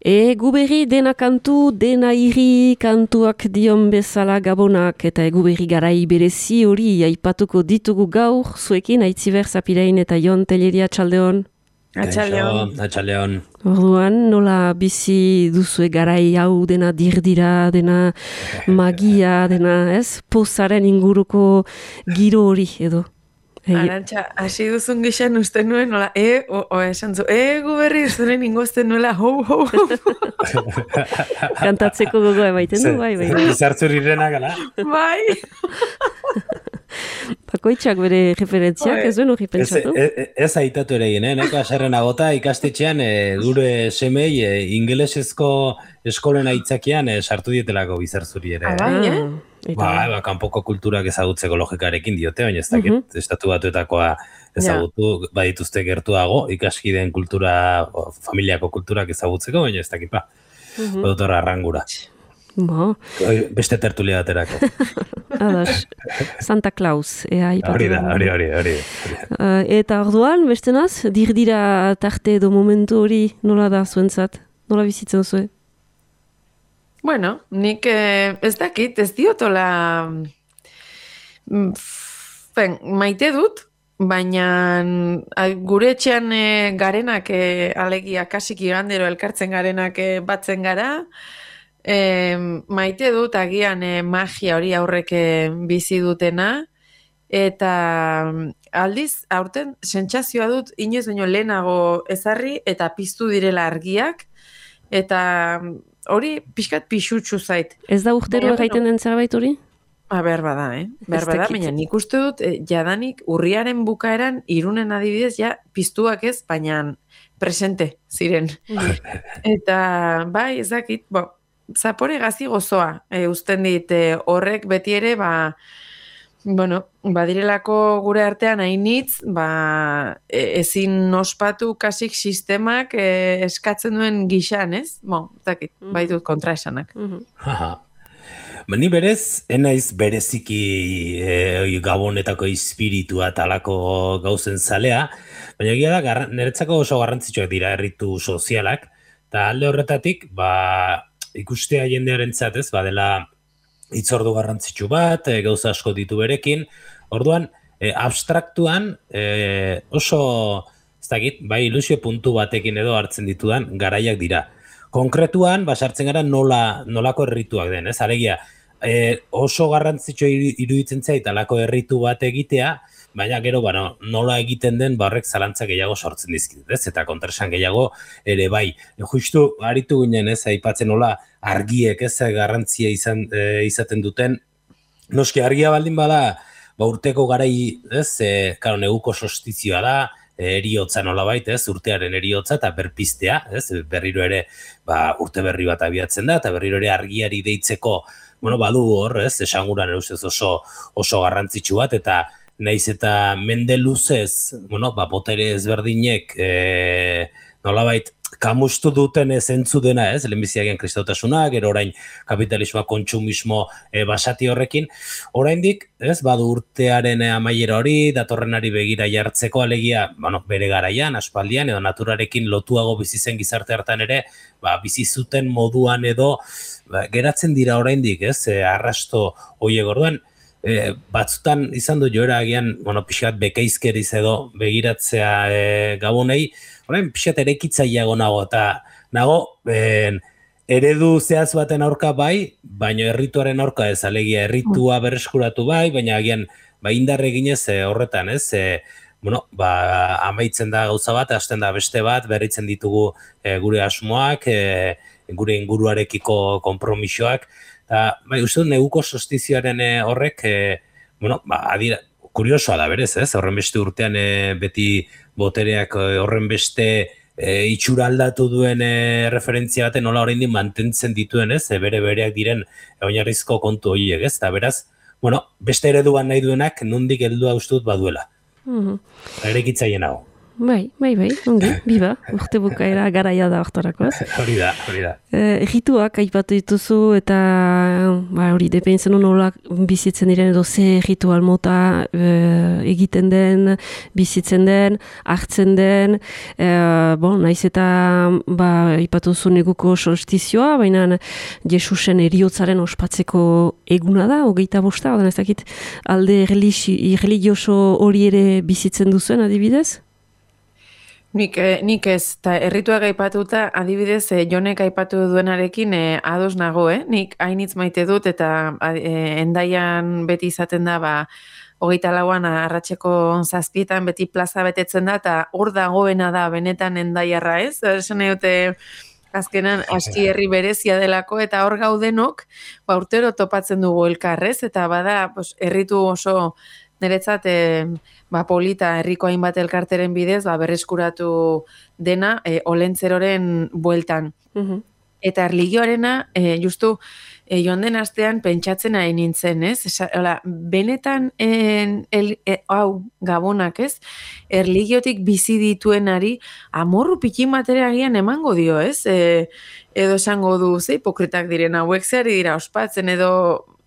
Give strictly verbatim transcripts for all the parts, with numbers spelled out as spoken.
Egu berri dena kantu, dena iri kantuak dion bezala gabonak eta egu berri garai berezi hori aipatuko ditugu gaur, zuekin Aitziber Zapirain eta Jon Telleria Atxaldeon. Atxaldeon. Atxaldeon. Orduan, nola bizi duzue garai hau dena dirdira, dena magia, dena ez, pozaren inguruko giro hori edo. Arantxa, hasi duzun gixan uste nuen, nola, e, o, o esan zu, e, gu berri zuren ingozten nuela, hou, hou, hou. Kantatzeko gogoa emaiten du, bai, bai. Zartzurirena gala. Bai. Bakoitzak bere referentziak, ez duen hori pentsatu? Ez, ez, ez aitatu ere ginen, neko aserren agota ikastetxean e, gure semei e, ingelesezko eskolen aitzakian e, sartu dietelako bizartzuri ere. Ah, bai, eh? Ba, ba, kanpoko kulturak ezagutzeko logikarekin diote, baina ez dakit, uh -huh. estatu batuetakoa ezagutu, ja. Badituzte gertuago, ikaskideen kultura, o, familiako kulturak ezagutzeko, baina ez dakit, ba, uh -huh. Badutorra arrangura. Bo. Beste tertulia baterako. Adas, Santa Claus, ea ipatu. Hori da, hori, hori, hori. Uh, eta orduan, beste naz, dirdira tarte edo momentu hori nola da zuentzat? Nola bizitzen zuen? Bueno, nik eh, ez dakit, ez diotola ben, maite dut, baina gure etxean e, garenak e, alegia kasik igandero elkartzen garenak e, batzen gara, e, maite dut agian e, magia hori aurrek e, bizi dutena, eta aldiz, aurten sentsazioa dut, inoiz baino lehenago ezarri eta piztu direla argiak, eta hori pixkat pixutxu zait. Ez da urtero egiten den zerbait hori? Ba, behar bada, eh? Behar bada, baina nik uste dut, eh, jadanik urriaren bukaeran, Irunen adibidez, ja, piztuak ez, baina presente ziren. Eta, bai, ezakit, bo, zapore gazi gozoa, e, usten dit, e, horrek beti ere, ba, bueno, badirelako gure artean hainitz, ba, e, ezin ospatu kasik sistemak e, eskatzen duen gixan, ez? Bo, zakit, mm. baitut kontraesanak. Mm -hmm. Ni berez, enaiz bereziki e, gabonetako espiritua talako gauzen zalea, baina egia da, niretzako oso garrantzitsuak dira erritu sozialak, eta alde horretatik, ba, ikustea jendearen zatez, badela hitzordu garrantzitsu bat, e, gauza asko ditu berekin, orduan, e, abstraktuan e, oso, ez dakit, bai ilusio puntu batekin edo hartzen ditudan garaiak dira. Konkretuan, basartzen gara nola, nolako errituak den, ez? Alegia, e, oso garrantzitsu iruditzen zait alako erritu bat egitea, baina gero, bueno, nola egiten den barrek zalantza gehiago sortzen dizkit, ez? Eta kontraesan gehiago ere bai. Justu, aritu ginen, ez, aipatzen nola argiek, ez, garrantzia izan, e, izaten duten. Noski, argia baldin bada, ba, urteko garai, ez, e, karo, neguko solstizioa da, eriotza nolabait, ez, urtearen eriotza eta berpiztea, ez, berriro ere, ba, urte berri bat abiatzen da, eta berriro ere argiari deitzeko, bueno, badu hor, ez, esanguran eusez oso, oso garrantzitsu bat, eta naiz eta mende luzez, bueno, ba, botere ezberdinek, e, nolabait, kamustu duten zentzu dena, ez, lehenbiziagen kristautasuna, gero orain kapitalismoa, kontsumismo e, basati horrekin, oraindik, ez, badu urtearen amaiera hori, datorrenari begira jartzeko alegia, bueno, bere garaian, aspaldian, edo naturarekin lotuago bizi zen gizarte hartan ere, ba, bizi zuten moduan edo, ba, geratzen dira oraindik, ez, e, arrasto hoiek orduan, e, batzutan izan du joera agian, bueno, pixat bekeizkeriz edo begiratzea e, gabonei, orain pixat erekitzaileago nago, eta nago, ben, eredu zehaz baten aurka bai, baina errituaren aurka ez, alegia erritua berreskuratu bai, baina agian, ba, indarre ginez e, horretan, ez, e, bueno, ba, amaitzen da gauza bat, hasten da beste bat, berritzen ditugu e, gure asmoak, e, gure inguruarekiko konpromisoak, eta, bai, uste dut, neguko solstizioaren e, horrek, e, bueno, ba, adira, kuriosoa da berez, ez, horren beste urtean e, beti botereak e, horren beste e, itxura aldatu duen e, referentzia baten nola oraindik mantentzen dituen, ez, e, bere bereak diren e, oinarrizko kontu horiek, ez, eta beraz, bueno, beste ereduan nahi duenak nondik heldua uste dut baduela. Mm-hmm. Erekitzaile nago. Bai, bai, bai, ongi, biba, urte bukaera garaia da hortarako, ez? Hori da, hori da. Eh, Errituak aipatu dituzu eta ba, hori depentzen nola bizitzen diren edo ze ritual mota eh, egiten den, bizitzen den, hartzen den, eh, bon, naiz eta ba, aipatu zu neguko solstizioa, baina Jesusen eriotzaren ospatzeko eguna da, hogeita bosta, odan ez dakit alde religioso hori ere bizitzen duzuen adibidez? Nik, nik ez, eta errituak aipatuta, adibidez, eh, Jonek aipatu duenarekin eh, ados nago, eh? Nik hainitz maite dut, eta eh, endaian beti izaten da, ba, hogeita lauan arratseko zazpietan beti plaza betetzen da, eta hor dagoena da, benetan endaiarra, ez? Esan dute, azkenan, aski herri berezia delako, eta hor gaudenok, ba, urtero topatzen dugu elkarrez, eta bada, pues, erritu oso niretzat, eh, ba, polita herriko hainbat elkarteren bidez, ba, berreskuratu dena e, olentzeroren bueltan. Mhm. Eta erligioarena, e, justu, e, joan den astean pentsatzen ari nintzen, ez? Esa, hola, benetan, en, el, e, hau, gabonak, ez? Erligiotik bizi dituenari, amorru pikin batera agian emango dio, ez? E, edo esango du, ze hipokritak diren hauek zeari dira ospatzen, edo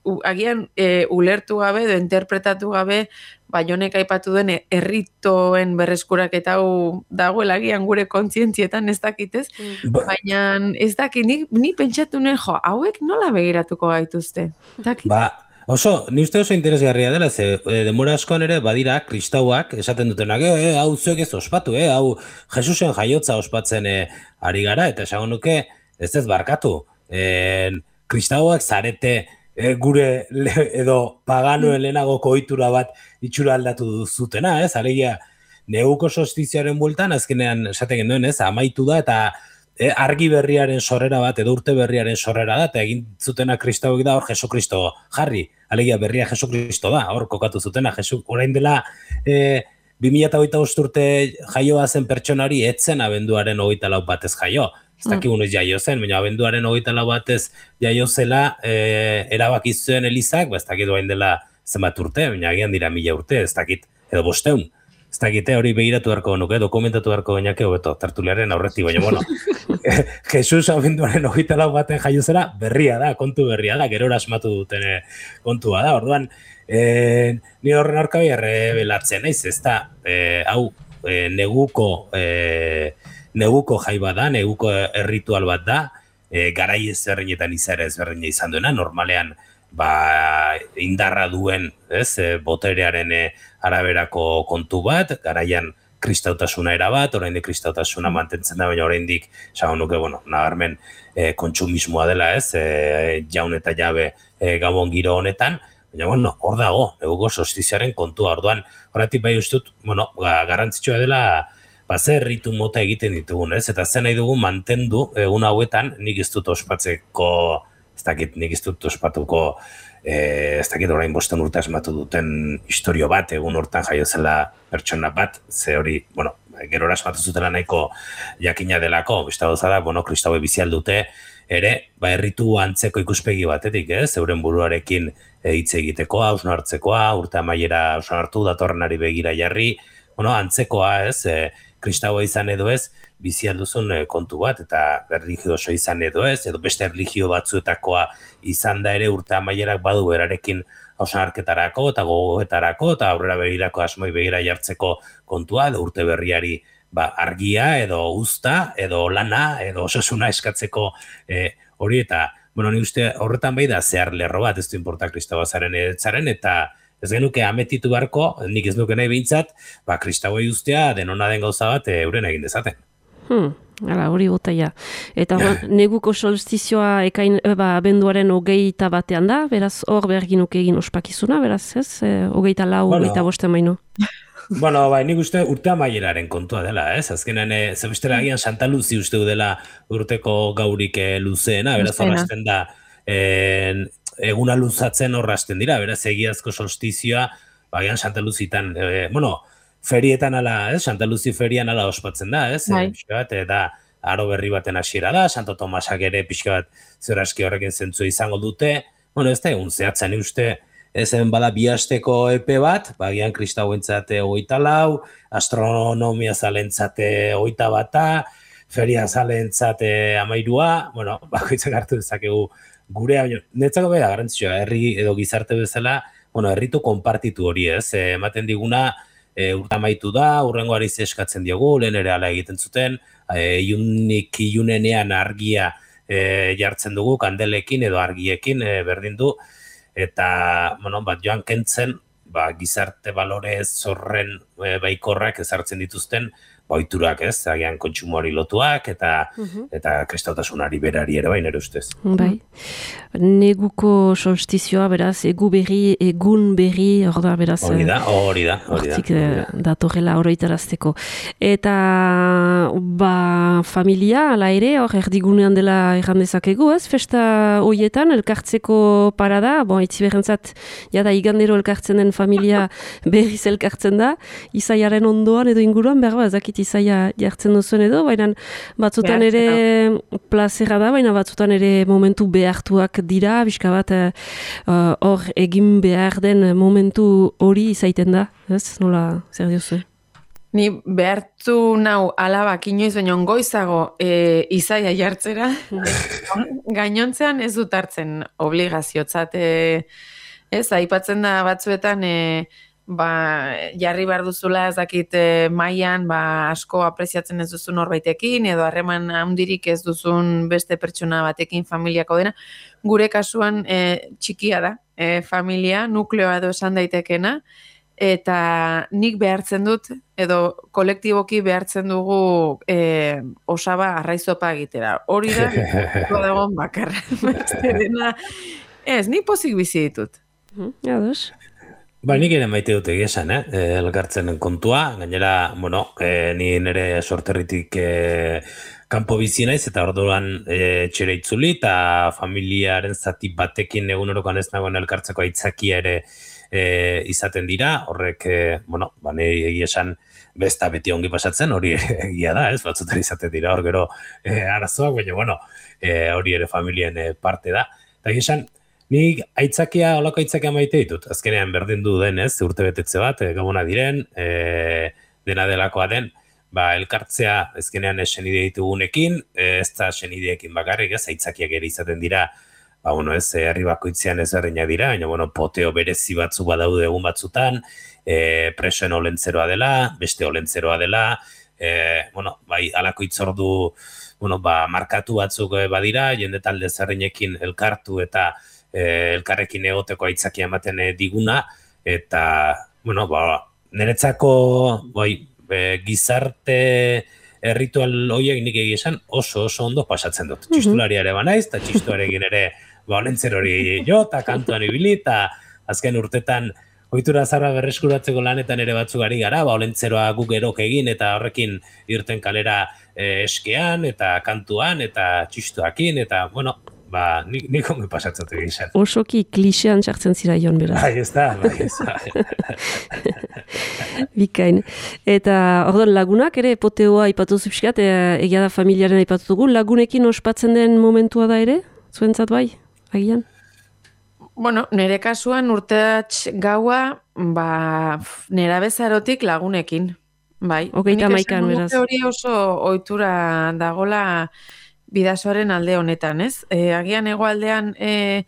U, agian e, ulertu gabe edo interpretatu gabe ba, Jonek aipatu den erritoen berreskuraketa hau dagoela agian gure kontzientzietan ez dakitez, mm. baina ez dakit, ni, ni pentsatu nuen jo, hauek nola begiratuko gaituzte? Dakit? Ba, oso, ni uste oso interesgarria dela, ze e, demora askoan ere badira kristauak esaten dutenak, e, hau zuek ez ospatu, e, hau Jesusen jaiotza ospatzen e, ari gara, eta esango nuke ez ez barkatu. E, kristauak zarete E, gure le, edo paganoen lehenagoko ohitura bat itxura aldatu zutena, ez? Alegia, neguko solstizioaren bueltan, azkenean esaten genuen, ez? Amaitu da, eta e, argi berriaren sorrera bat, edo urte berriaren sorrera da, eta egin zutena kristauek da, hor Jesu Kristo jarri. Alegia, berria Jesu Kristo da, hor kokatu zutena. Jesu, orain dela, e, bi mila hogeita bost urte jaioa zen pertsonari, etzen abenduaren hogeita lau batez jaio. Ez dakigun ez jaio zen, baina abenduaren hogeita lau batez jaio zela e, erabaki zuen Elizak, ba, ez dakit doain dela zenbat urte, baina agian dira mila urte, ez dakit, edo bosteun. Ez dakite hori begiratu beharko nuke, dokumentatu beharko gainake hobeto, tertuliaren aurretik, baina, bueno, Jesus abenduaren hogeita lau baten jaio zela berria da, kontu berria da, gerora asmatu duten kontua da, orduan, e, ni horren aurkabi errebelatzen naiz, ez da, e, hau, e, neguko, e, neguko jai bat da, neguko erritual bat da, e, garai ezberdinetan izara ezberdina izan duena, normalean ba, indarra duen, ez, e, boterearen e, araberako kontu bat, garaian kristautasuna era bat, oraindik kristautasuna mantentzen da, baina oraindik esango nuke, bueno, nabarmen e, kontsumismoa dela, ez, e, jaun eta jabe e, gabon giro honetan, baina, bueno, hor dago, neguko solstiziaren kontua, orduan, horretik bai ustut, bueno, garrantzitsua dela, ba, zer erritu mota egiten ditugun, ez? Eta zen nahi dugu mantendu egun hauetan, nik ez dut ospatzeko, ez dakit, nik ez dut ospatuko, eh, ez dakit orain bosten urte asmatu duten historio bat, egun hortan jaio zela pertsona bat, ze hori, bueno, gerora asmatu zutela nahiko jakina delako, besta gauza da, bueno, kristaue bizi aldute, ere, ba, erritu antzeko ikuspegi batetik, ez? Euren buruarekin hitz egitekoa, hausnartzekoa, urte amaiera hausnartu, datorrenari begira jarri, bueno, antzekoa, ez, e, kristaua izan edo ez, bizi alduzun e, kontu bat, eta erligioso izan edo ez, edo beste erligio batzuetakoa izan da ere urte amaierak badu berarekin hausnarketarako eta gogoetarako, eta aurrera begirako asmoi begira jartzeko kontua, edo urte berriari ba, argia, edo uzta, edo lana, edo osasuna eskatzeko e, hori, eta, bueno, ni uste horretan bai da zehar lerro bat, ez du inporta kristaua zaren eretzaren, eta ez genuke ametitu beharko, nik ez nuke nahi behintzat, ba, kristauei ustea denona den gauza bat euren egin dezaten. Hmm, ala, hori botaia. Eta neguko solstizioa ekain, ba, abenduaren hogeita batean da, beraz hor behar ginuke egin ospakizuna, beraz ez? E, hogeita lau, bueno, hogeita bostean baino. Bueno, bai, nik uste urte amaieraren kontua dela, ez? Azkenean, e, zebestera agian Santa Luzi uste dela urteko gaurik e, luzeena, beraz horrazten da, e, eguna luzatzen horrazten dira, beraz egiazko solstizioa, bagian Santa Luzitan, e, bueno, ferietan ala, ez? Santa Luzi ferian ala ospatzen da, ez? Bai. E, pixka bat, eta aro berri baten hasiera da, Santo Tomasak ere pixka bat zeraski horrekin zentzu izango dute, bueno, ez da egun zehatzen uste, ezen bada bi asteko epe bat, bagian kristauentzate hogeita lau, astronomia zalentzate hogeita bata, feria zalentzate amairua, bueno, bakoitzak hartu dezakegu gurea, netzako bera garrantzitsua, herri edo gizarte bezala, bueno, herritu konpartitu hori ez, e, ematen diguna, e, urta amaitu da, urrengoari eskatzen diogu, lehen ere ala egiten zuten, e, iunik iunenean argia e, jartzen dugu, kandelekin edo argiekin e, berdin du, eta, bueno, bat joan kentzen, ba, gizarte balore zorren e, baikorrak ezartzen dituzten, oiturak ez, agian kontsumoari lotuak, eta uh-huh. eta kristautasunari berari ere bai, nire ustez. Bai. Neguko solstizioa, beraz, egu berri, egun berri, hor da, beraz. Hori da, hori da. Hortik datorrela oroitarazteko. Eta, ba, familia, ala ere, hor, erdigunean dela errandezakegu, ez? Festa hoietan, elkartzeko parada, bon, itziberrentzat, jada, igandero elkartzen den familia berriz elkartzen da, izaiaren ondoan edo inguruan, berba, ezakit izaia jartzen duzuen edo, baina batzutan ere plazera da, baina batzutan ere momentu behartuak dira, bizka bat hor uh, egin behar den momentu hori izaiten da, ez? Nola, zer diozu? Ni behartu nau alabak inoiz baino goizago e, izaia jartzera, gainontzean ez dut hartzen obligaziotzat, e, ez, aipatzen da batzuetan, e, ba, jarri behar duzula ez dakit e, mailan ba, asko apreziatzen ez duzun horbaitekin, edo harreman handirik ez duzun beste pertsona batekin familiako dena. Gure kasuan e, txikia da, e, familia, nukleoa edo esan daitekena, eta nik behartzen dut, edo kolektiboki behartzen dugu e, osaba arraizopa egitera. Hori da, dagoen bakarra. Ez, nik pozik bizi ditut. Ja, dos. Ba, nik ere maite dut egizan, eh? Elkartzen kontua, gainera, bueno, e, ni nire sorterritik e, kanpo bizi naiz, eta orduan e, txere itzuli, eta familiaren zati batekin egunerokan ez nagoen elkartzeko aitzakia ere e, izaten dira, horrek, e, bueno, ba, nire egizan besta beti ongi pasatzen, hori egia da, ez, batzutan izaten dira, hor gero e, arazoak, baina, bueno, e, hori ere familien e, parte da, eta egizan, nik aitzakia, olako aitzakia maite ditut. Azkenean berdin du den, ez, urte betetze bat, e, gabona diren, e, dena delakoa den, ba, elkartzea azkenean senide ditugunekin, e, ez da senideekin bakarrik, ez, aitzakiak ere izaten dira, ba, bueno, ez, herri bakoitzean ez erreina dira, baina, bueno, poteo berezi batzu badaude egun batzutan, e, presoen olentzeroa dela, beste olentzeroa dela, e, bueno, bai, alako itzordu, bueno, ba, markatu batzuk badira, jende talde zerreinekin elkartu eta elkarrekin egoteko aitzakia ematen diguna, eta, bueno, ba, niretzako bai, e, gizarte erritual horiek nik egizan oso oso ondo pasatzen dut. Mm-hmm. Txistularia ere banaiz, eta txistuarekin ere ba, olentzer hori jo, eta kantuan ibili, eta azken urtetan ohitura zarra berreskuratzeko lanetan ere batzuk ari gara, ba, olentzeroa guk erok egin, eta horrekin irten kalera e, eskean, eta kantuan, eta txistuakin, eta, bueno, ba, nik, nik ongi pasatzatu egizan. Osoki klixean txartzen zira joan beraz. Bai, ez da, bai, ez da. Bikain. Eta, orduan, lagunak ere, poteoa ipatu zupskat, e, egia da familiaren ipatu dugu, lagunekin ospatzen den momentua da ere? Zuentzat bai, agian? Bueno, nire kasuan urteatx gaua, ba, nera bezarotik lagunekin, bai. Ogeita maikan, beraz. Hori oso ohitura dagola bidasoaren alde honetan, ez? E, agian hegoaldean e,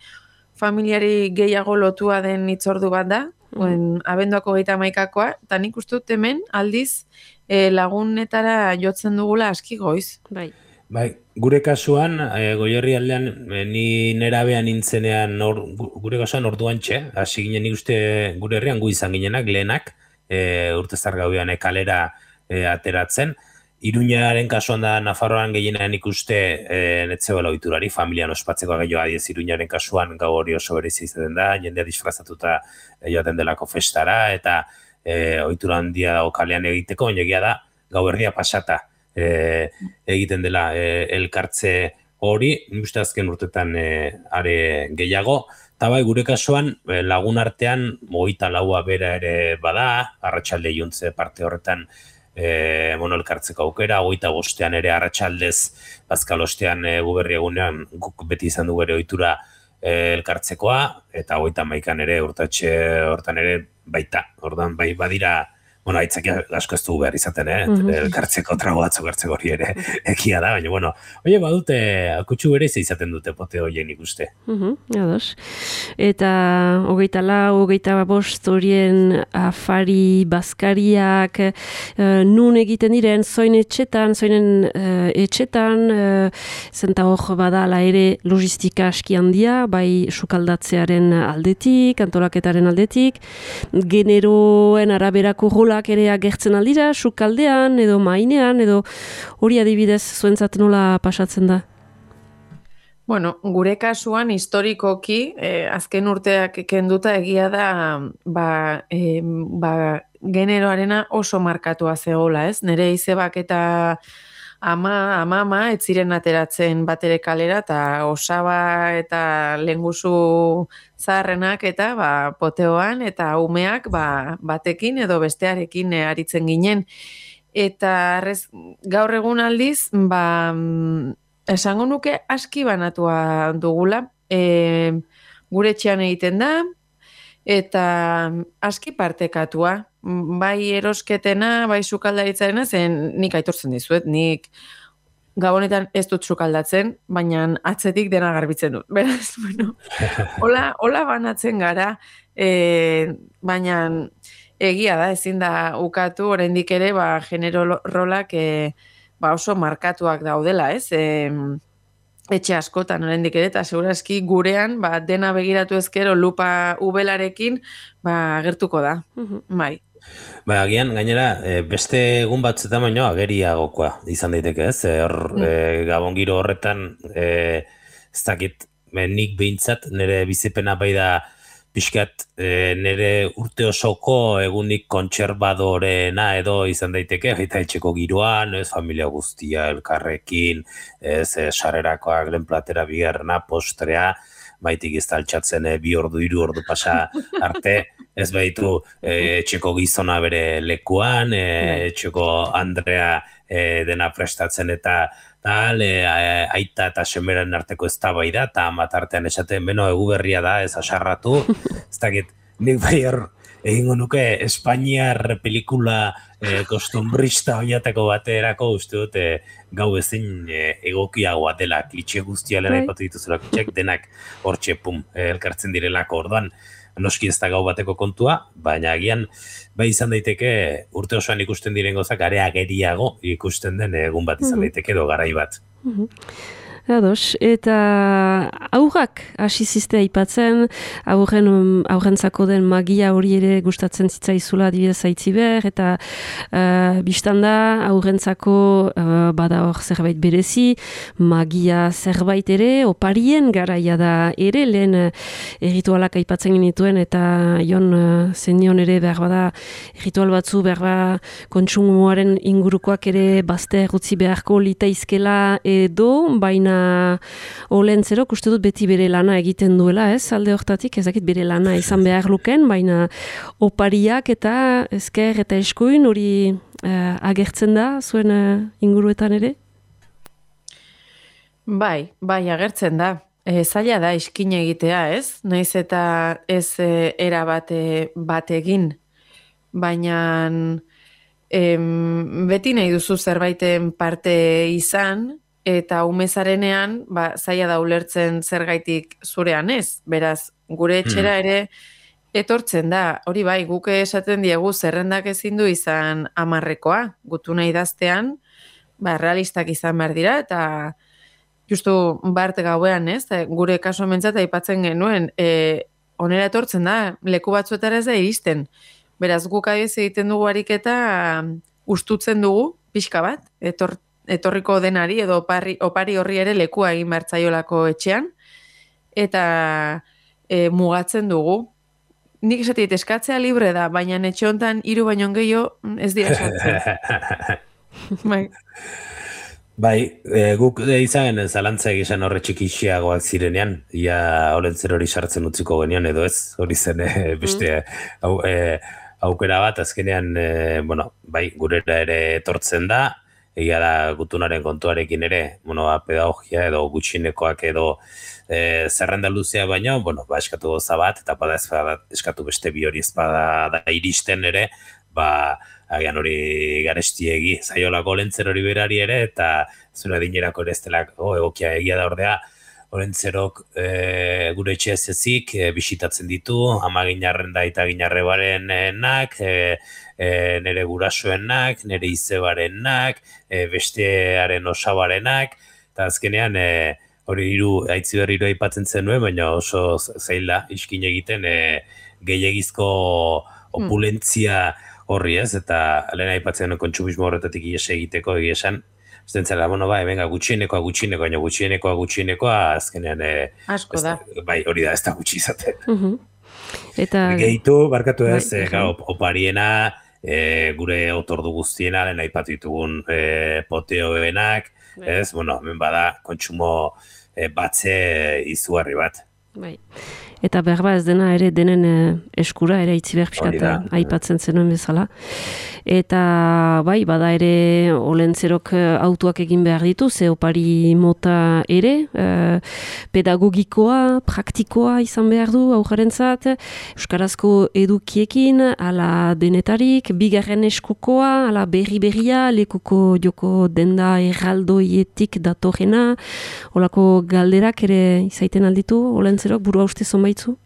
familiari gehiago lotua den hitzordu bat da, mm. abenduako gehieta maikakoa, eta nik uste dut hemen aldiz e, lagunetara jotzen dugula aski goiz. Bai. Bai, gure kasuan, e, Goierri aldean, e, ni nerabean nintzenean, or, gure kasuan orduan txe, hasi ginen nik uste gure herrian gu izan ginenak, lehenak, e, urtezar gauean e, kalera e, ateratzen, Iruñaren kasuan da Nafarroan gehienean ikuste e, netzegoela ohiturari, familian ospatzeko gehiago adiez Iruñaren kasuan gau hori oso berezi izaten da, jendea disfrazatuta e, joaten delako festara, eta e, ohitura handia dago kalean egiteko, baina egia da gau herria pasata e, egiten dela e, elkartze hori, uste azken urtetan e, are gehiago, eta bai gure kasuan e, lagun artean hogeita laua bera ere bada, arratsalde iluntze parte horretan, E, bueno, elkartzeko aukera, hogeita bostean ere arratsaldez bazkalostean e, guberri egunean guk beti izan du bere ohitura elkartzekoa, eta hogeita hamaikan ere, urtatxe hortan ere baita, ordan bai badira, bueno, aitzakia asko ez dugu behar izaten, eh? Mm-hmm. Elkartzeko trago batzuk hartzeko hori ere ekia da, baina, bueno, oie, badute, akutsu bere izaten dute pote horien ikuste. Mm-hmm, ados. Eta hogeita lau, hogeita bost horien afari, bazkariak, uh, nun egiten diren, zoin etxetan, zoinen uh, etxetan, uh, zenta hor badala ere logistika aski handia, bai sukaldatzearen aldetik, antolaketaren aldetik, generoen araberako rola ere agertzen aldira, sukaldean, edo mainean, edo hori adibidez zuentzat nola pasatzen da? Bueno, gure kasuan historikoki, eh, azken urteak kenduta egia da, ba, eh, ba, generoarena oso markatua zegoela, ez? Nere izebak eta ama, ama, ama, ez ziren ateratzen batere kalera, eta osaba eta lenguzu zaharrenak eta ba, poteoan, eta umeak ba, batekin edo bestearekin aritzen ginen. Eta rez, gaur egun aldiz, ba, esango nuke aski banatua dugula, e, gure etxean egiten da, eta aski partekatua. Bai erosketena, bai sukaldaritzarena, zen nik aitortzen dizuet, nik gabonetan ez dut sukaldatzen, baina atzetik dena garbitzen dut. Beraz, bueno, hola, hola banatzen gara, e, baina egia da, ezin da ukatu, oraindik ere, ba, genero rolak e, ba, oso markatuak daudela, ez? E, etxe askotan oraindik ere, eta segurazki gurean, ba, dena begiratu ezkero lupa ubelarekin, ba, agertuko da, uh-huh. Bai. Ba, agian, gainera, beste egun batzuetan baino ageriagokoa izan daiteke, ez? Hor, mm. e, gabon giro horretan, e, ez dakit, nik behintzat, nire bizipena bai da pixkat e, nire urte osoko egunik kontserbadorena edo izan daiteke, eta etxeko giroan, ez, familia guztia elkarrekin, ez, e, sarrerakoak, lehen platera bigarrena, postrea, baitik ez altxatzen e, bi ordu, hiru ordu pasa arte, ez baitu e, etxeko gizona bere lekuan, e, etxeko Andrea e, dena prestatzen eta tal, e, aita eta semeren arteko eztabaida eta amat artean esaten, beno, egu berria da, ez asarratu, ez dakit, nik bai hor egingo nuke Espainiar pelikula e, kostumbrista oinateko baterako uste dut e, gau ezin e, egokiagoa dela, klitxe guztia lera ipatu dituzula klitxek, denak hortxe pum, e, elkartzen direlako orduan, noski ez da gau bateko kontua, baina agian bai izan daiteke urte osoan ikusten diren gozak are ageriago ikusten den egun bat izan daiteke edo garai bat. Ados, eta aurrak hasi ziste aipatzen, aurren, aurrentzako den magia hori ere gustatzen zitzaizula adibidez Aitziber, eta uh, biztan da aurrentzako uh, bada hor zerbait berezi, magia zerbait ere, oparien garaia da ere, lehen uh, erritualak aipatzen genituen, eta jon uh, zenion ere behar bada erritual batzu behar bada kontsumoaren ingurukoak ere bazte errutzi beharko litaizkela edo, baina olentzero, uste dut beti bere lana egiten duela, ez? Alde hortatik, ezakit bere lana izan behar luken, baina opariak eta ezker eta eskuin hori uh, agertzen da, zuen uh, inguruetan ere? Bai, bai, agertzen da. E, zaila da iskin egitea, ez? Naiz eta ez e, era bate, bat egin, baina em, beti nahi duzu zerbaiten parte izan, eta umezarenean, ba, zaila da ulertzen zergaitik zurean ez. Beraz, gure etxera ere etortzen da. Hori bai, guk esaten diegu zerrendak ezin du izan amarrekoa. Gutuna idaztean, ba, realistak izan behar dira, eta justu bart gauean ez, gure kaso mentzat aipatzen genuen, e, onera etortzen da, leku batzuetara ez da iristen. Beraz, guk adiz egiten dugu ariketa ustutzen dugu, pixka bat, etor, etorriko denari edo opari, opari horri ere lekua egin bertzaiolako etxean, eta e, mugatzen dugu. Nik esatit, eskatzea libre da, baina etxe hontan hiru baino gehiago ez dira eskatzen. Bai. Bai, e, guk e, izan zalantza egizan horre txikixiagoak zirenean, ia olentzer hori sartzen utziko genion edo ez, hori zen e, beste au, e, aukera bat, azkenean, e, bueno, bai, gurera ere etortzen da, egia da gutunaren kontuarekin ere, bueno, pedagogia edo gutxinekoak edo e, zerrenda luzea baino, bueno, ba, eskatu goza bat, eta bada ez bada, eskatu beste bi hori ez bada da iristen ere, ba, agian hori garestiegi, zaiolako lentzero hori berari ere, eta zure dinerako ere ez delako egokia egia da ordea, Orentzerok e, gure etxe ez ezik e, bisitatzen ditu, ama ginarren da eta ginarrebarenak, e, e, nire gurasoenak, nire izebarenak, e, bestearen osabarenak, eta azkenean e, hori hiru aitzi berri hiru aipatzen zenuen, baina oso zaila iskin egiten e, gehiagizko opulentzia horri ez, eta lehen aipatzen kontsumismo horretatik ies egiteko egia esan, Zentzela, bueno, bai, venga, gutxienekoa, gutxienekoa, baina gutxienekoa, gutxienekoa, azkenean... E, Asko da. Ez, bai, hori da, ez da gutxi izaten. Uh-huh. Eta... Gehitu, barkatu ez, bai, e, gau, opariena, e, gure otordu guztiena, lehen aipatu ditugun e, poteoenak, bai. Ez, bueno, hemen bada, kontsumo e, batze izugarri bat. Bai. Eta berba ez dena ere denen eskura ere itzi behar pixkata aipatzen zenuen bezala. Eta bai, bada ere olentzerok autoak egin behar ditu, ze opari mota ere, eh, pedagogikoa, praktikoa izan behar du aurrarentzat, euskarazko edukiekin, ala denetarik, bigarren eskukoa, ala berri-berria, lekuko joko denda erraldoietik datorrena, olako galderak ere izaiten alditu, olentzerok burua uste zonbaitzu?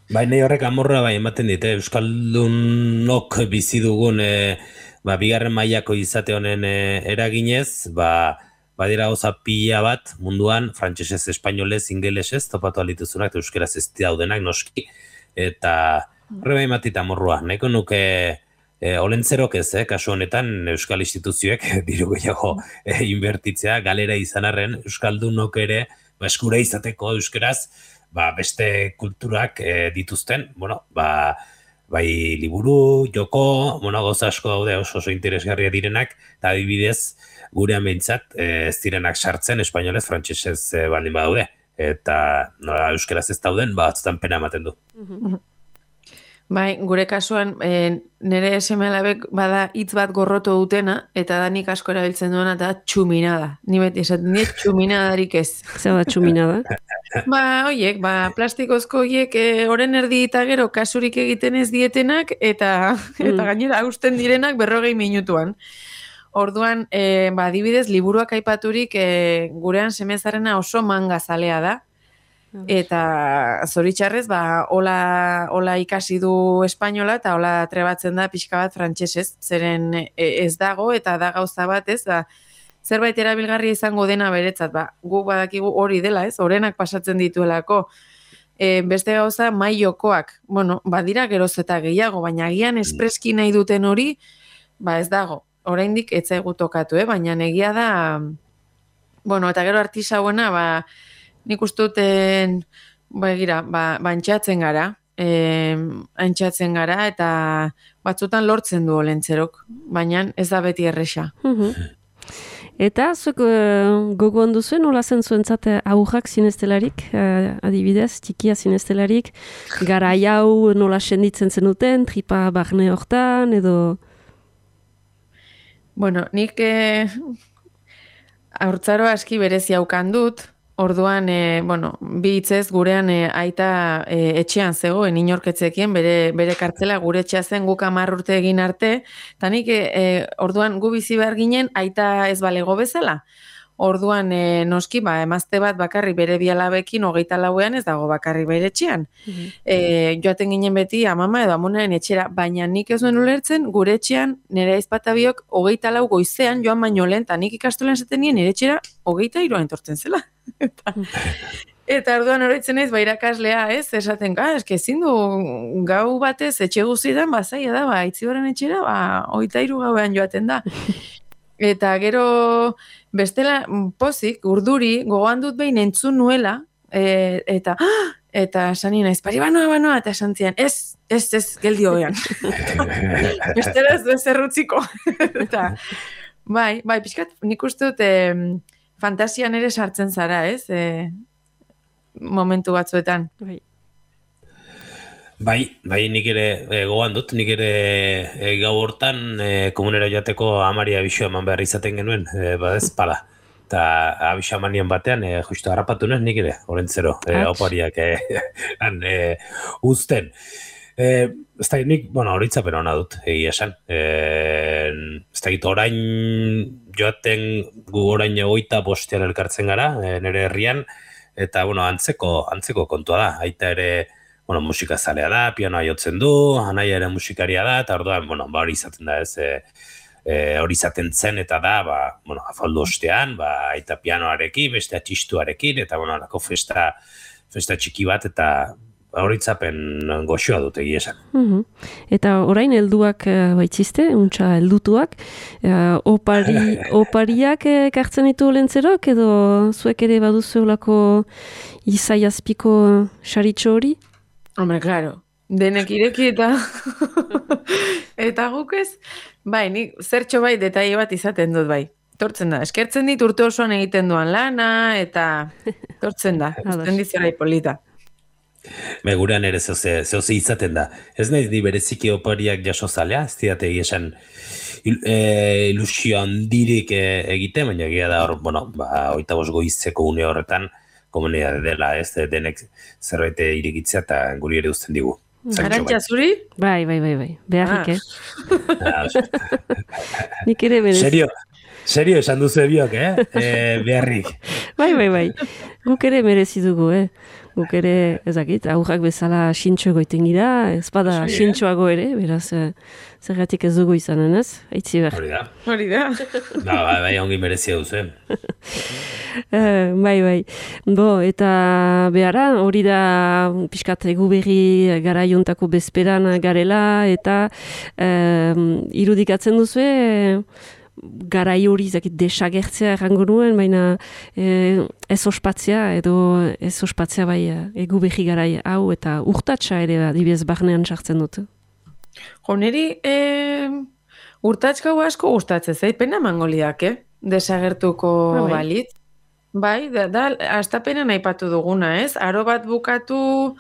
Bai, nahi horrek amorra bai ematen dit, eh? Euskaldunok bizi dugun e, ba, bigarren mailako izate honen e, eraginez, ba, badira gauza pila bat munduan, frantsesez, espainolez, ingelesez, topatu alituzunak, eta euskeraz ez daudenak noski, eta horre bai matita amorrua, nahiko nuke e, olentzerok ez, eh? Kasu honetan euskal instituzioek diru gehiago e, inbertitzea, galera izan arren, euskaldunok ere, ba, eskura izateko euskeraz, ba, beste kulturak e, dituzten, bueno, ba, bai liburu, joko, bueno, gauza asko daude oso oso interesgarria direnak, eta adibidez, gurean behintzat, e, ez direnak sartzen, espainolez, frantsesez e, baldin badaude, eta nola euskeraz ez dauden, ba, atzutan pena ematen du. Bai, gure kasuan, e, nire esemelabek bada hitz bat gorroto dutena, eta da nik asko erabiltzen duena, eta txuminada. Ni beti esaten dut txuminadarik ez. Zer da txuminada? Ba, oiek, ba, plastikozko oiek e, oren erdi eta gero kasurik egiten ez dietenak, eta, mm. eta gainera hausten direnak berrogei minutuan. Orduan, e, ba, adibidez, liburuak aipaturik e, gurean semezarena oso manga zalea da, eta zoritxarrez, ba, hola, hola ikasi du espainola eta hola trebatzen da pixka bat frantsesez, zeren ez dago eta da gauza bat, ez, ba, zerbait erabilgarria izango dena beretzat, ba, guk badakigu hori dela, ez, orenak pasatzen dituelako, e, beste gauza maiokoak, bueno, badira geroz eta gehiago, baina agian espreski nahi duten hori, ba, ez dago, oraindik ez zaigu tokatu, eh, baina egia da, bueno, eta gero artisauena, ba, nik ustuten, ba, egira, ba, ba entxatzen gara, e, entxatzen gara, eta batzutan lortzen du olentzerok, baina ez da beti erresa. Eta, zuek uh, gogo handu zuen, nola zen zuentzat aurrak zinestelarik, uh, adibidez, txikia zinestelarik, gara hau nola senditzen zenuten, tripa barne hortan, edo... Bueno, nik eh, haurtzaro aski berezi haukan dut, orduan, e, bueno, bi hitzez gurean e, aita e, etxean zegoen inorketzekien, bere, bere kartzela gure etxea zen guk hamar urte egin arte, eta nik e, orduan gu bizi behar ginen aita ez balego bezala. Orduan, e, noski, ba, emazte bat bakarri bere bialabekin hogeita lauean ez dago bakarri bere etxean. Mm-hmm. E, joaten ginen beti amama edo amonaren etxera, baina nik ez duen ulertzen gure etxean nire aizpatabiok hogeita lau goizean joan baino lehen, eta nik ikastolan zaten nien nire etxera hogeita iruan entortzen zela. eta, eta orduan horretzen ez, ba, irakaslea, ez, esaten, ka, eske ezin du gau batez etxe guztietan, ba, zaila da, ba, itzibarren etxera, ba, hogeita iru gauean joaten da. Eta gero bestela pozik, urduri, gogoan dut behin entzun nuela, e, eta eta sani naiz, pari banoa, banoa, eta esan zian, ez, ez, ez, geldi hogean. Bestela ez du zerrutziko. eta, bai, bai, pixkat, nik uste dut, e, fantasian ere sartzen zara, ez, e, momentu batzuetan. Bai. Bai, bai nik ere e, gogoan dut, nik ere e, gau hortan e, komunera joateko amari abixo eman behar izaten genuen, e, ba ez, pala. Eta abixo emanien batean, e, justu harrapatu nuen nik ere, orentzero, e, opariak e, han, e, uzten. E, ez da, nik, bueno, horitzapen hona dut, egia esan. E, ez da, orain joaten gu orain egoita bostean elkartzen gara, e, nire herrian, eta, bueno, antzeko, antzeko kontua da, aita ere, bueno, musika zalea da, pianoa jotzen du, anaia ere musikaria da, eta orduan, bueno, ba hori izaten da ez, e, e, hori izaten zen eta da, ba, bueno, afaldu ostean, ba, aita pianoarekin, beste txistuarekin, eta, bueno, alako festa, festa txiki bat, eta horitzapen goxoa dut egia esan. Uh-huh. Eta orain helduak uh, baitziste, untxa heldutuak, uh, opari, opariak ekartzen ditu lentzerok, edo zuek ere baduzu olako izai azpiko saritxo hori? Hombre, claro, denek ireki eta eta guk ez, bai, nik zertxo bai detaile bat izaten dut bai. Tortzen da, eskertzen dit urte osoan egiten duan lana, eta tortzen da, uzten dizerai polita. Be, gurean ere zehose, zehose izaten da. Ez nahi di bereziki opariak jaso zalea, ez diate esan il, e, ilusio handirik e, egite, baina egia da hor, bueno, ba, oita bost goizeko une horretan, komunidade dela, ez, denek zerbait irigitzea eta guri ere uzten digu. Arantxa zuri? Bai, bai, bai, bai. Beharrik, ah. eh? Nik ere berez. Serio, serio esan duzu ebiok, eh? E, beharrik. Bai, bai, bai. Guk ere merezi dugu, eh? Guk ere, ezakit, aurrak bezala xintxo egoiten gira, ez bada xintxoago ere, beraz, zergatik ez dugu izanen, ez? Aitzi behar. Hori da. Hori da. No, bai, bai, ongi merezia duzu, eh? Uh, bai, bai. Bo, eta behara, hori da pixkat egu berri garaiontako bezperan garela, eta uh, irudikatzen duzu, garai hori zakit desagertzea errango nuen, baina eh, ez ospatzea, edo ez ospatzea bai egu berri garai hau, eta urtatsa ere adibidez barnean sartzen dut. Jo, niri eh, urtatska asko gustatzen zait, pena mangoliak, eh? Desagertuko ah, bai. Balit. Bai, da, da astapenean aipatu duguna, ez? Aro bat bukatu,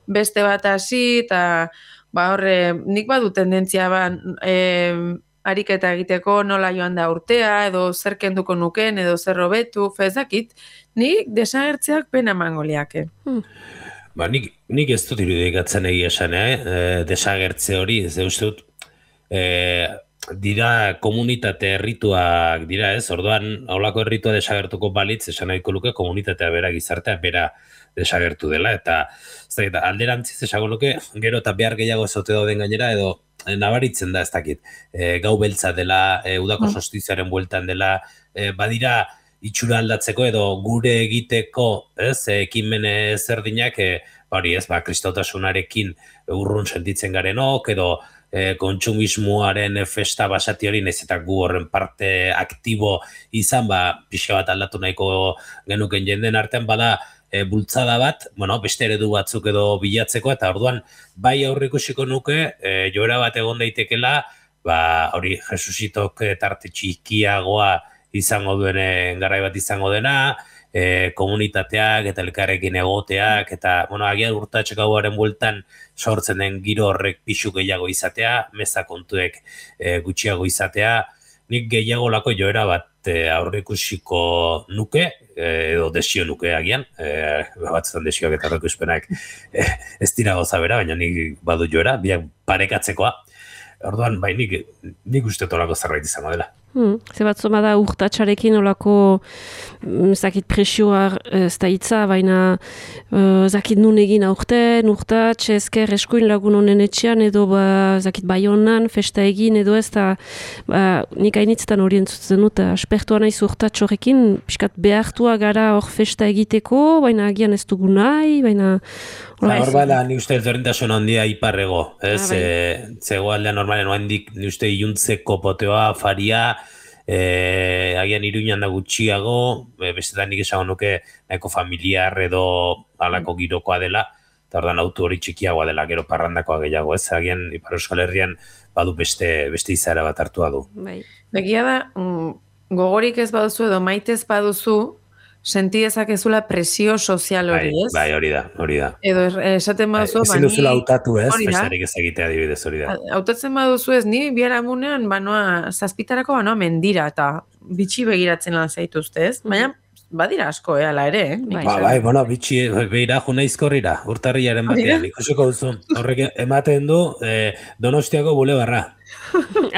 beste bat hasi, eta ba horre, nik badu tendentzia ba, eh, ariketa egiteko nola joan da urtea, edo zer kenduko nuken, edo zer hobetu, fezakit, nik desagertzeak pena mangoliak. Hmm. Ba, nik, nik ez dut irudikatzen egia esan, eh? E, desagertze hori, ez uste dut, e, dira komunitate errituak dira, ez? Orduan, haulako erritua desagertuko balitz, esan nahiko luke komunitatea bera, gizartea bera desagertu dela, eta ez da, alderantziz esango luke, gero eta behar gehiago ezote dauden gainera, edo nabaritzen da ez dakit, e, gau beltza dela, e, udako mm. sostiziaren bueltan dela, e, badira itxura aldatzeko edo gure egiteko, ez, ekimen ezerdinak, e, hori ez, ba, kristautasunarekin urrun sentitzen garenok, edo e, kontsumismoaren festa basati hori, nahiz eta gu horren parte aktibo izan, ba, pixka bat aldatu nahiko genuken jenden artean, bada, E, bultzada bat, bueno, beste eredu batzuk edo bilatzeko, eta orduan bai aurrikusiko nuke, e, joera bat egon daitekela, ba, hori Jesusitok tarte txikiagoa izango duen garai bat izango dena, e, komunitateak eta elkarrekin egoteak, eta, bueno, agian urtatxekauaren bueltan sortzen den giro horrek pixu gehiago izatea, meza kontuek e, gutxiago izatea, nik gehiago lako joera bat e, aurrikusiko nuke, edo desio nuke agian, e, batzutan desioak eta aurreikuspenak e, ez dira goza bera, baina nik badu joera, biak parekatzekoa. Orduan, bai, nik, nik uste tolako zerbait izango dela. Hmm. Ze bat zoma da urtatxarekin olako zakit presioa ez da hitza, baina uh, zakit nun egin aurten, urtatx, ezker eskuin lagun honen etxean, edo ba, zakit bai honan, festa egin, edo ez da ba, nik hainitzetan hori entzutzen dut, aspertua naiz urtatx horrekin, piskat behartua gara hor festa egiteko, baina agian ez dugu nahi, baina Hor bala, ni uste ezberdintasun handia iparrego, ez, ah, e, zego aldean normalen, oandik, ni uste iluntzeko poteoa, faria, e, agian iruñan da gutxiago, e, bestetan nik esango nuke, nahiko familiar edo alako girokoa dela, eta ordan autu hori txikiagoa dela, gero parrandakoa gehiago, ez, agian Ipar Euskal Herrian badu beste, beste izaera bat hartua du. Bai. Begia da, mm, gogorik ez baduzu edo maitez baduzu, senti dezakezula presio sozial hori, ez? Bai, hori da, hori da. Edo esaten baduzu, ezin duzula hautatu, ez? Festarik ez egitea adibidez hori da. Hautatzen baduzu ez, ni biharamunean, banoa, zazpitarako banoa mendira, eta bitxi begiratzen lan zaituzte, ez? Baina, badira asko, eh, ala ere, eh? Ba, bai, bueno, bitxi, behira, juna izkorrira, urtarriaren batean, ikusiko duzu. Horrek ematen du, eh, Donostiako bulebarra.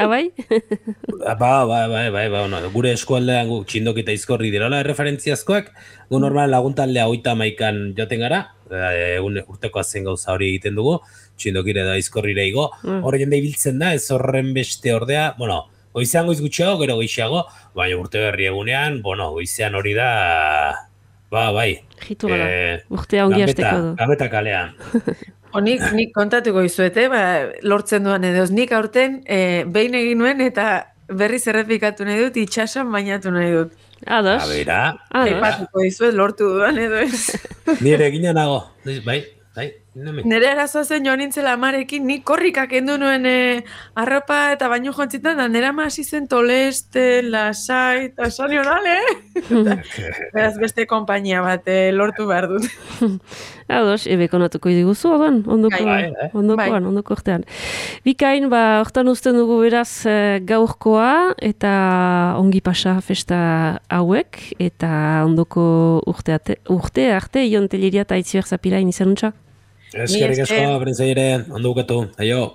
Abai? Ba, ba, ba, ba, ba, no. Gure eskualdean gu txindokita izkorri dirala referentziazkoak, gu normal laguntaldea hogeita hamaikan joten gara, e, urteko azen gauza hori egiten dugu, txindokire da izkorrire igo, horre jende ibiltzen da, ez horren beste ordea, bueno, goizean goiz gutxiago, gero goixiago, baina urte berri egunean, bueno, goizean hori da, ba, bai. Jitu gara, e, urtea ongi hasteko du. Gambeta kalean. Nik, nik kontatuko izuete, ba, lortzen duan edo, nik aurten e, behin egin nuen eta berriz errepikatu nahi dut, itxasan bainatu nahi dut. Ados. Abera. Epatuko izuet, lortu duan edo ez. Nire egina nago, bai, bai. Nere arazoa zen joan nintzela amarekin, nik korrikak endu nuen e, arropa eta baino jontzitan, da nera ma hasi zen toleste, lasai, eta sani horale, eh? Beraz beste kompainia bat e, lortu behar dut. Ados, ebe konatuko diguzu, odan, ondoko, bai, ondokoan, bai. Ondoko urtean. Bikain, ba, hortan uzten dugu beraz gaurkoa, eta ongi pasa festa hauek, eta ondoko urte, urte arte, Ion Telleria eta Itziber Zapirain izanuntza. Eskerrik asko, Brentzaire, ondo bukatu, aio.